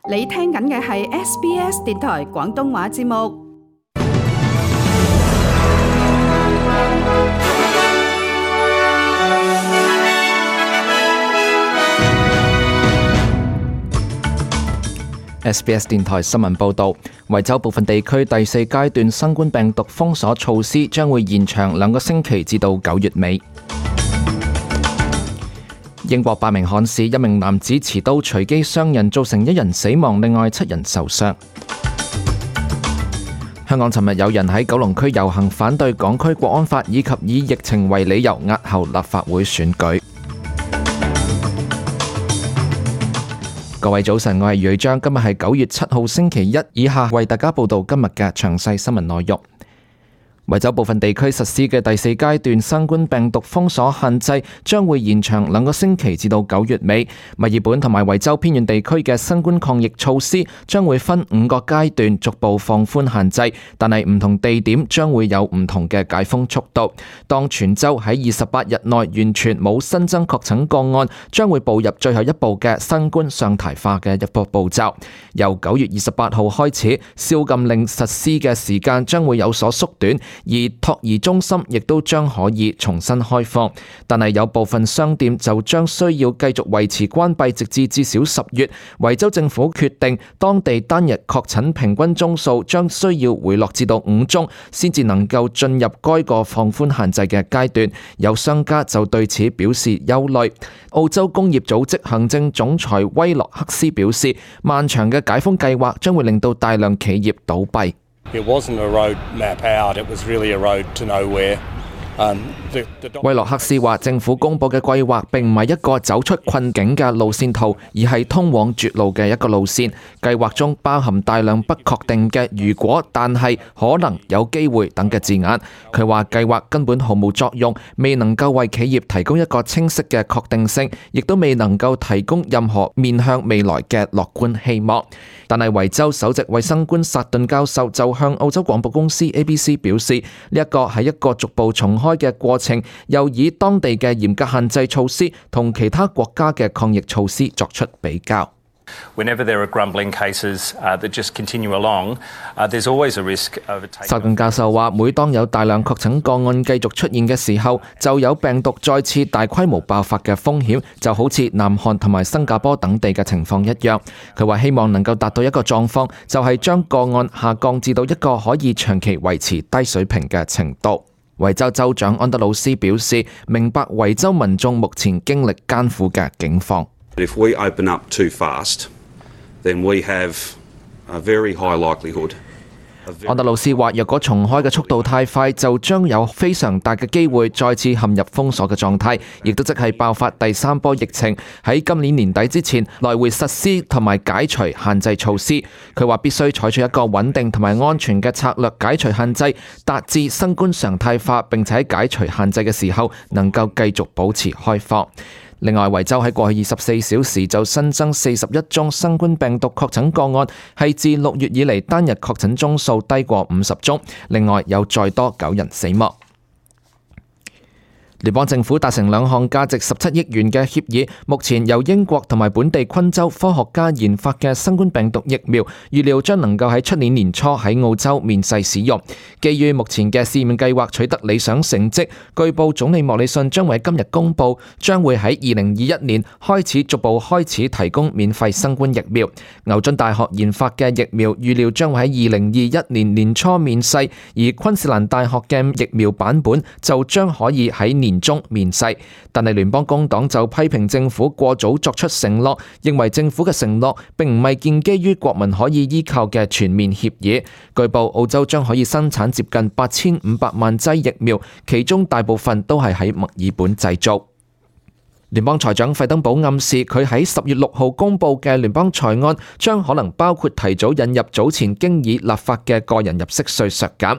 你聽緊嘅係 SBS 電台廣東話節目。SBS 電台新聞報導，維州部分地區第4階段新冠病毒封鎖措施將會延長2個星期至到9月尾。英國伯明翰市一名男子持刀隨機傷人，造成1人死亡，另外7人受傷。香港尋日有人喺九龍區遊行反對港區國安法，以及以疫情為理由押後立法會選舉。各位早晨，我係余章，今日係9月7號星期一，以下為大家報道今日嘅詳細新聞內容。維州部分地區實施嘅第4階段新冠病毒封鎖限制將會延長2個星期至到9月尾。墨爾本同埋維州偏遠地區嘅新冠抗疫措施將會分5個階段逐步放寬限制，但係唔同地點將會有唔同嘅解封速度。當全州喺28日內完全冇新增確診個案，將會步入最後一步嘅新冠常態化嘅一個步驟。由9月28號開始，宵禁令實施嘅時間將會有所縮短，而托兒中心亦都將可以重新開放，但係有部分商店就將需要繼續維持關閉，直至少10月。維州政府決定，當地單日確診平均宗數將需要回落至到5宗，先至能夠進入該個放寬限制嘅階段。有商家就對此表示憂慮。澳洲工業組織行政總裁威洛克斯表示，漫長嘅解封計劃將會令到大量企業倒閉。It wasn't a road map out, it was really a road to nowhere. 威洛克斯話，政府公布嘅計劃並唔係一個走出困境嘅路線圖，而係通往絕路嘅一個路線。計劃中包含大量不確定嘅如果、但係、可能、有機會等嘅字眼。佢話計劃根本毫無作用，未能夠為企業提供一個清晰嘅確定性，亦都未能夠提供任何面向未來嘅樂觀希望。但係維州首席衛生官薩頓教授就向澳洲廣播公司 ABC 表示，呢一個係一個逐步重開嘅過程，又以當地嘅嚴格限制措施同其他國家嘅抗疫措施作出比較。Whenever there are grumbling cases that just continue along, there's always a risk of taking. 薩頓教授話，每當有大量確診個案繼續出現嘅時候，就有病毒再次大規模爆發嘅風險，就好似南韓同埋新加坡等地嘅情況一樣。佢話希望能夠達到一個狀況，就係將個案下降至到一個可以長期維持低水平嘅程度。維州州長安德魯斯表示，明白維州民眾目前經歷艱苦嘅境況。If we open up too fast, then we have a very high likelihood. 安德魯斯話，若果重開嘅速度太快，就將有非常大嘅機會再次陷入封鎖嘅狀態，亦都即係爆發第3波疫情。喺今年年底之前，來回實施同埋解除限制措施。佢話必須採取一個穩定同埋安全嘅策略解除限制，達至新冠常態化，並且喺解除限制嘅時候能夠繼續保持開放。另外，維州喺過去24小時就新增41宗新冠病毒確診個案，係自6月以嚟單日確診宗數低過50宗。另外有再多9人死亡。聯邦政府達成2項價值17億元嘅協議，目前由英國同埋本地昆州科學家研發嘅新冠病毒疫苗，預料將能夠喺出年年初喺澳洲面世使用。基於目前嘅試驗計劃取得理想成績，據報總理莫里遜將會喺今日公佈，將會喺2021年開始逐步開始提供免費新冠疫苗。牛津大學研發嘅疫苗預料將會喺2021年年初面世，而昆士蘭大學嘅疫苗版本就將可以喺年中面世，但係聯邦工黨就批評政府過早作出承諾，認為政府嘅承諾並唔係建基於國民可以依靠嘅全面協議。據報澳洲將可以生產接近8500萬劑疫苗，其中大部分都係喺墨爾本製造。聯邦財長費登堡暗示，佢喺10月6號公佈嘅聯邦財案將可能包括提早引入早前經已立法嘅個人入息稅削減。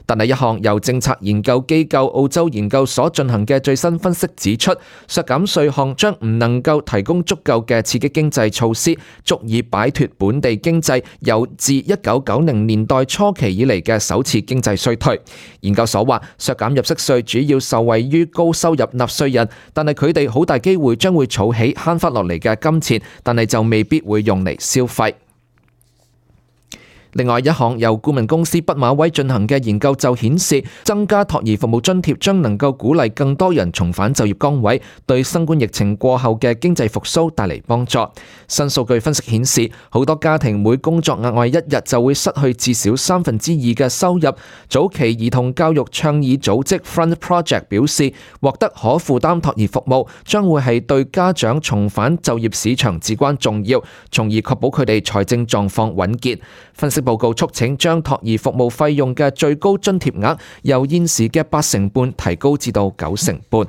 但係一項由政策研究機構澳洲研究所進行嘅最新分析指出，削減稅項將唔能夠提供足夠嘅刺激經濟措施，足以擺脫本地經濟由自1990年代初期以嚟嘅首次經濟衰退。研究所話，削減入息稅主要受惠於高收入納稅人，但係佢哋好大機會將會儲起慳翻落嚟嘅金錢，但係就未必會用嚟消費。另外，一項由顧問公司畢馬威進行嘅研究就顯示，增加托兒服務津貼將能夠鼓勵更多人重返就業崗位，對新冠疫情過後嘅經濟復甦帶嚟幫助。新數據分析顯示，好多家庭每工作額外一日就會失去至少2/3嘅收入。早期兒童教育倡議組織 Front Project 表示，獲得可負擔托兒服務將會係對家長重返就業市場至關重要，從而確保佢哋財政狀況穩健。分析報告促請將托兒服務費用嘅最高津貼額由現時嘅8.5%提高至到9.5%。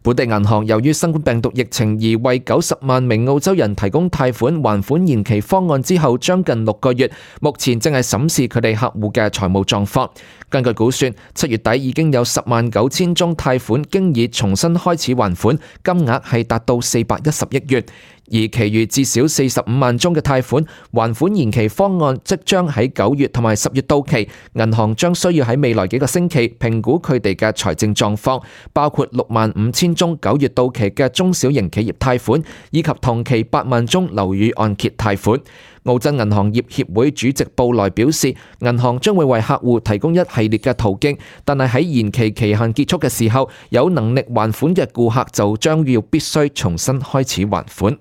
本地銀行由於新冠病毒疫情而為90萬名澳洲人提供貸款還款延期方案之後將近6個月，目前正係審視佢哋客戶嘅財務狀況。根據估算，7月底已經有109000宗貸款經已重新開始還款，金額係達到410億元。而其餘至少45萬宗嘅貸款還款延期方案即將喺9月同埋10月到期，銀行將需要喺未來幾個星期評估佢哋嘅財政狀況，包括65000宗9月到期嘅中小型企業貸款，以及同期8萬宗樓宇按揭貸款。澳洲銀行業協會主席布萊表示，銀行將會為客戶提供一系列嘅途徑，但係喺延期期限結束嘅時候，有能力還款嘅顧客就將要必須重新開始還款。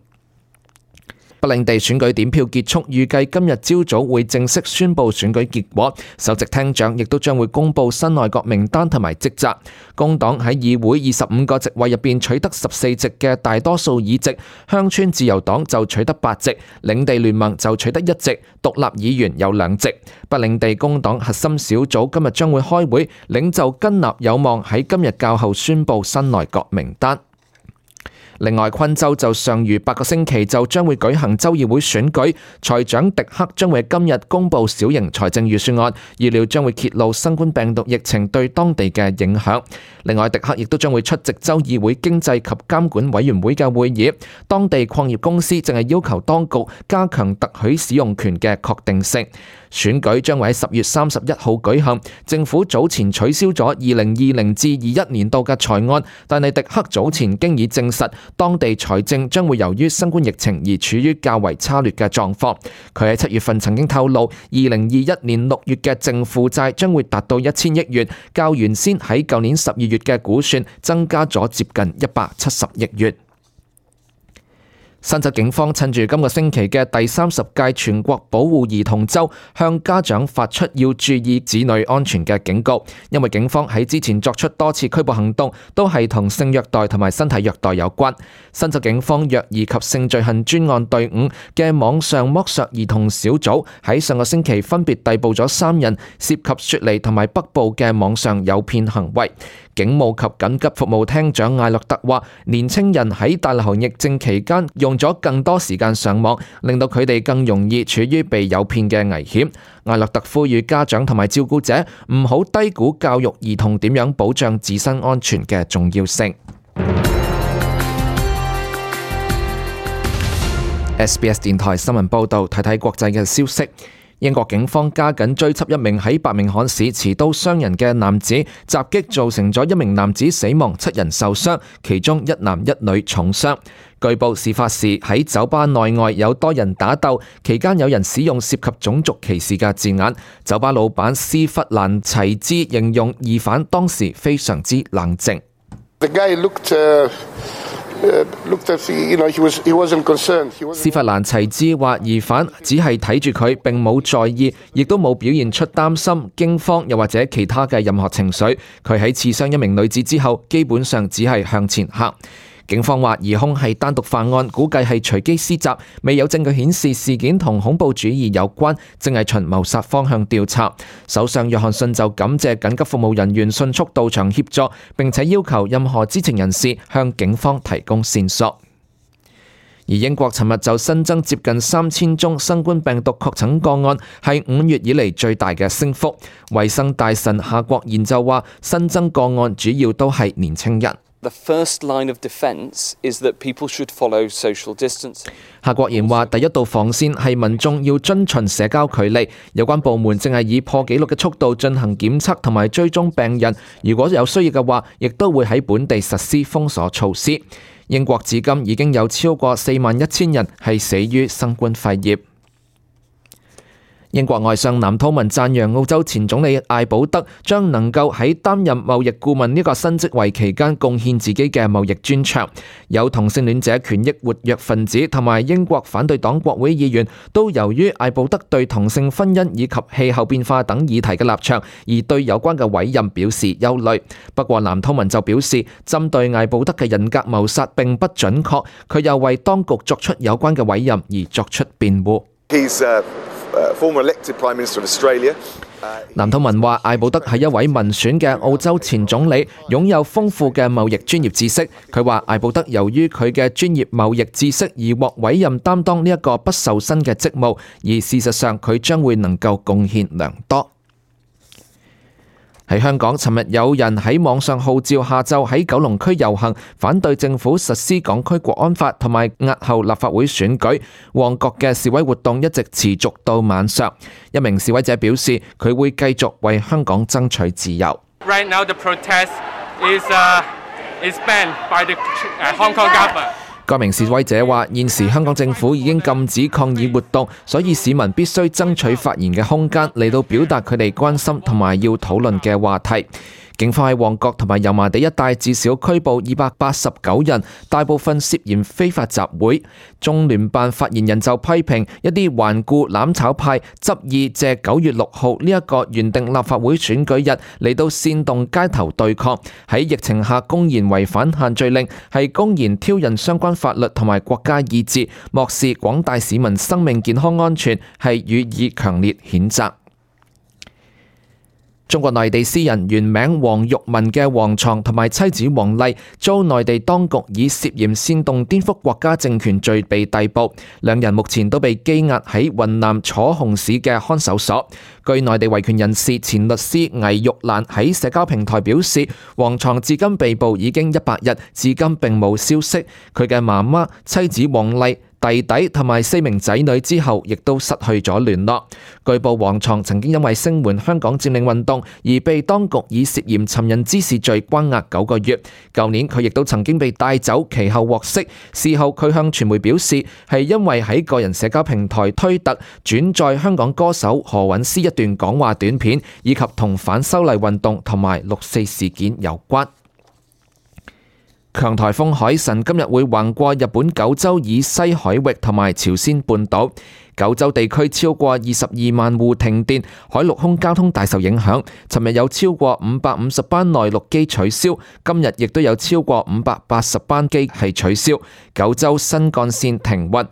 北領地選舉點票結束，預計今日朝早會正式宣布選舉結果。首席廳長亦都將會公布新內閣名單同埋職責。工黨喺議會25個席位入邊取得14席嘅大多數議席，鄉村自由黨就取得8席，領地聯盟就取得1席，獨立議員有2席。北領地工黨核心小組今日將會開會，領袖根納有望喺今日較後宣布新內閣名單。另外，昆州就尚餘8個星期就將會舉行州議會選舉，財長迪克將會今日公布小型財政預算案，預料將會揭露新冠病毒疫情對當地嘅影響。另外，迪克亦都將會出席州議會經濟及監管委員會嘅會議。當地礦業公司正係要求當局加強特許使用權嘅確定性。選舉將會喺10月31號舉行。政府早前取消咗2020至21年度嘅財案，但係迪克早前經已證實，當地財政將會由於新冠疫情而處於較為差劣嘅狀況。佢喺7月份曾經透露，2021年6月嘅淨負債將會達到1000億元，較原先喺舊年12月嘅估算增加咗接近170億元。新州警方趁住今個星期嘅第30屆全國保護兒童週，向家長發出要注意子女安全嘅警告，因為警方喺之前作出多次拘捕行動，都係同性虐待同埋身體虐待有關。新州警方虐兒及性罪行專案隊伍嘅網上剝削兒童小組喺上個星期分別逮捕咗3人，涉及雪梨同埋北部嘅網上誘騙行為。警務及緊急服務廳長艾洛特話，年青人喺大流行疫症期間用咗更多時間上網，令到佢哋更容易處於被誘騙嘅危險。艾洛特呼籲家長同埋照顧者唔好低估教育兒童點樣保障自身安全嘅重要性。SBS 電台新聞報道，睇睇國際嘅消息。英國警方加緊追緝一名喺伯明翰市持刀傷人嘅男子，襲擊造成咗一名男子死亡，7人受傷，其中1男1女重傷。據報事發時喺酒吧內外有多人打鬥，期間有人使用涉及種族歧視嘅字眼。酒吧老闆斯弗蘭齊茲形容疑犯當時非常之冷靜。斯弗蘭齊茲話，疑犯只係睇住佢，並冇在意，亦都冇表現出擔心、驚慌又或者其他嘅任何情緒。佢喺刺傷一名女子之後，基本上只係向前行。警方話疑兇係單獨犯案，估計係隨機施襲，未有證據顯示事件同恐怖主義有關，正係循謀殺方向調查。首相約翰遜就感謝緊急服務人員迅速到場協助，並且要求任何知情人士向警方提供線索。而英國尋日就新增接近3000宗新冠病毒確診個案，係5月以嚟最大嘅升幅。衛生大臣夏國賢就話，新增個案主要都係年輕人。The first line of defense is that people should follow social distancing. 夏國賢話，第一道防線係民眾要遵循社交距離。有關部門正係以破紀錄嘅速度進行檢測同埋追蹤病人，如果有需要嘅話，亦都會喺本地實施封鎖措施。英國至今已經有超過41000人係死於新冠肺炎。英國外相藍韜文讚揚澳洲前總理艾保德將能夠喺擔任貿易顧問呢個新職位期間貢獻自己嘅貿易專長。有同性戀者權益活躍分子同埋英國反對黨國會議員都由於艾保德對同性婚姻以及氣候變化等議題嘅立場，而對有關嘅委任表示憂慮。不過藍韜文就表示，針對艾保德嘅人格謀殺並不準確，佢又為當局作出有關嘅委任而作出辯護。藍韜文話：艾保德係一位民選嘅澳洲前總理，擁有豐富嘅貿易專業知識。佢話艾保德由於佢嘅專業貿易知識而獲委任擔當呢一個不受薪嘅職務，而事實上佢將會能夠貢獻良多。喺香港，尋日有人喺網上號召下晝喺九龍區遊行，反對政府實施港區國安法同埋押後立法會選舉。旺角嘅示威活動一直持續到晚上。一名示威者表示，佢會繼續為香港爭取自由。Right now the protest is banned by the Hong Kong government. 該名示威者話：現時香港政府已經禁止抗議活動，所以市民必須爭取發言嘅空間嚟到表達佢哋關心同埋要討論嘅話題。警方喺旺角同埋油麻地一帶至少拘捕289人，大部分涉嫌非法集會。中聯辦發言人就批評一啲頑固攬炒派執意借9月6號呢一個原定立法會選舉日嚟到煽動街頭對抗，喺疫情下公然違反限聚令，係公然挑釁相關法律同埋國家意志，漠視廣大市民生命健康安全，係予以強烈譴責。中國內地詩人原名黃玉文嘅黃床同埋妻子黃麗遭內地當局以涉嫌煽動顛覆國家政權罪被逮捕，兩人目前都被羈押喺雲南楚雄市嘅看守所。據內地維權人士前律師倪玉蘭喺社交平台表示，黃床至今被捕已經100日，至今並冇消息。佢嘅媽媽、妻子黃麗、弟弟同埋4名仔女之後，亦都失去咗聯絡。據報黃床曾經因為聲援香港佔領運動而被當局以涉嫌尋釁滋事罪關押9個月。舊年佢亦都曾經被帶走，其後獲釋。事後佢向傳媒表示，係因為喺個人社交平台推特轉載香港歌手何韻詩一段講話短片，以及同反修例運動同埋6·4事件有關。強颱風海神今日會橫過日本九州以西海域同埋朝鮮半島，九州地區超過22萬戶停電，海陸空交通大受影響。尋日有超過550班內陸機取消，今日亦都有超過580班機係取消，九州新幹線停運。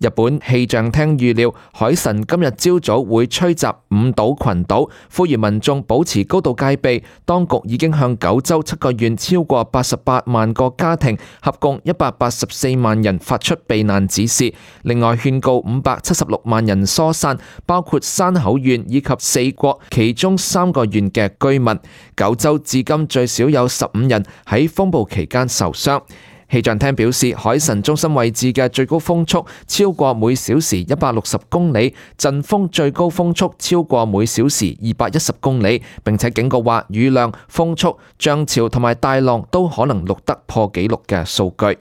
日本氣象廳預料海神今日朝早會吹襲五島群島，呼籲民眾保持高度戒備。當局已經向九州7個縣超過88萬個家庭，合共184萬人發出避難指示。另外勸告576萬人疏散，包括山口縣以及四國其中3個縣嘅居民。九州至今最少有15人喺風暴期間受傷。氣象廳表示，海神中心位置嘅最高風速超過每小時160公里，陣風最高風速超過每小時210公里，並且警告話雨量、風速、漲潮同埋大浪都可能錄得破紀錄嘅數據。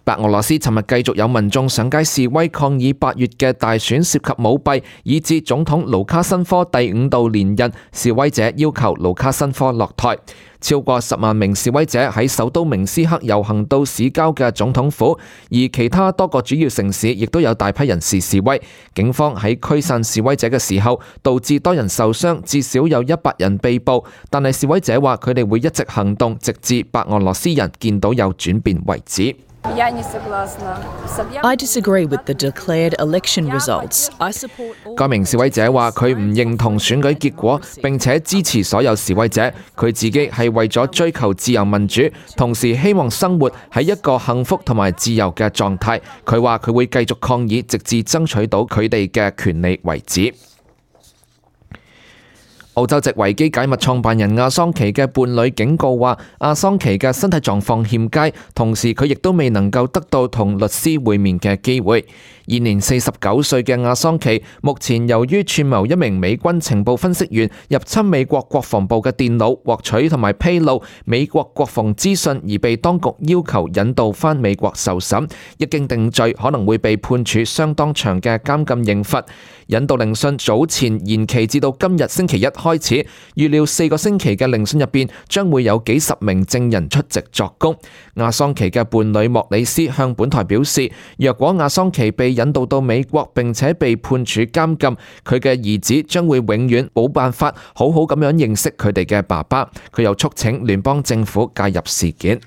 白俄羅斯尋日繼續有民眾上街示威抗議8月嘅大選涉及舞弊，以致總統盧卡申科第5度連任。示威者要求盧卡申科落台。超過10萬名示威者喺首都明斯克遊行到市郊嘅總統府，而其他多個主要城市亦都有大批人士示威。警方喺驅散示威者嘅時候，導致多人受傷，至少有100人被捕。但係示威者話佢哋會一直行動，直至白俄羅斯人見到有轉變為止。I disagree with the declared election results. I support all... 該名示威者話佢唔認同選舉結果，並且支持所有示威者。佢自己係為咗追求自由民主，同時希望生活喺一個幸福同埋自由嘅狀態。佢話佢會繼續抗議，直至爭取到佢哋嘅權利為止。澳洲籍維基解密創辦人阿桑奇嘅伴侶警告話，阿桑奇嘅身體狀況欠佳，同時佢亦都未能夠得到同律師會面嘅機會。現年49歲嘅阿桑奇，目前由於串謀一名美軍情報分析員入侵美國國防部嘅電腦，獲取同埋披露美國國防資訊，而被當局要求引渡返美國受審。一經定罪，可能會被判處相當長嘅監禁刑罰。引渡聆訊早前延期至到今日星期一開始，預料4個星期嘅聆訊入邊將會有幾十名證人出席作供。阿桑奇嘅伴侶莫里斯向本台表示，若果阿桑奇被引渡到美國並且被判處監禁，佢嘅兒子將會永遠冇辦法好好咁樣認識佢哋嘅爸爸。佢又促請聯邦政府介入事件。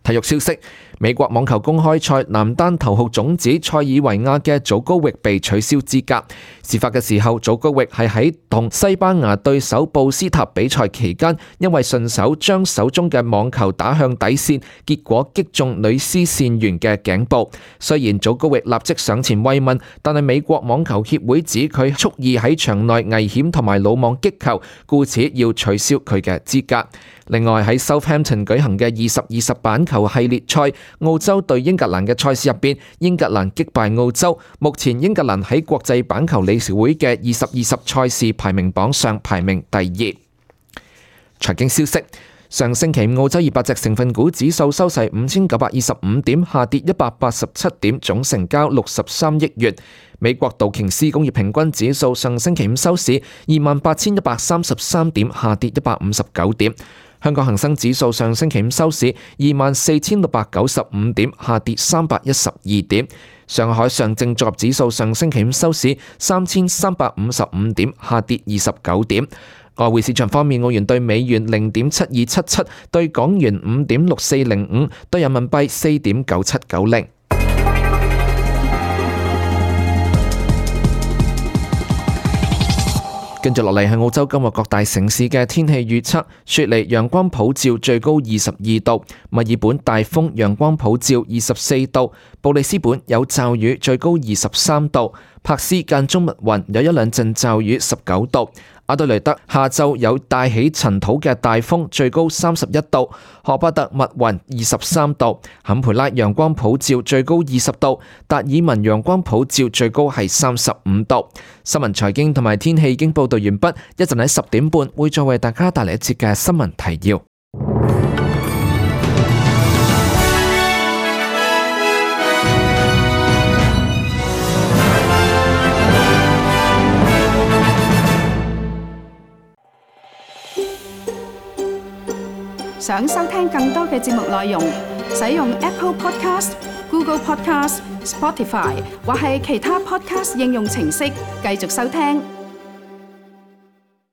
體育消息，美國網球公開賽男單頭號種子塞爾維亞嘅祖高域被取消資格。事發嘅時候，祖高域係喺同西班牙對手布斯塔比賽期間，因為順手將手中嘅網球打向底線，結果擊中女絲線員嘅頸部。雖然祖高域立即上前慰問，但係美國網球協會指佢蓄意喺場內危險同埋魯莽擊球，故此要取消佢嘅資格。另外喺 Southampton 舉行嘅2020板球系列賽，澳洲對英格蘭嘅賽事入邊，英格蘭擊敗澳洲。目前英格蘭喺國際板球理事會嘅2020賽事排名榜上排名第2。財經消息，上星期澳洲200隻成分股指數收市5925點，下跌187點，總成交63億元。美國道瓊斯工業平均指數上星期五收市28,133點，下跌159點。香港恒生指數上星期五收市24,695點，下跌312點。上海上證綜合指數上星期五收市3,355點，下跌29點。外匯市場方面，澳元對美元0.7277，對港元5.6405，對人民幣4.9790。跟住落嚟係澳洲今日各大城市嘅天氣預測：雪梨陽光普照，最高22度；墨爾本大風，陽光普照24度；布里斯本有驟雨，最高23度；柏斯間中密雲，有一兩陣驟雨，19度；阿德雷德下晝有帶起塵土嘅大風，最高31度；荷巴特密雲23度；坎培拉陽光普照，最高20度；達爾文陽光普照，最高係35度。新聞財經同埋天氣已經報道完畢，一陣喺10點半會再為大家帶嚟一節嘅新聞提要。想收聽更多嘅節目內容，使用 Apple Podcast、Google Podcast、Spotify 或係其他 Podcast 應用程式繼續收聽。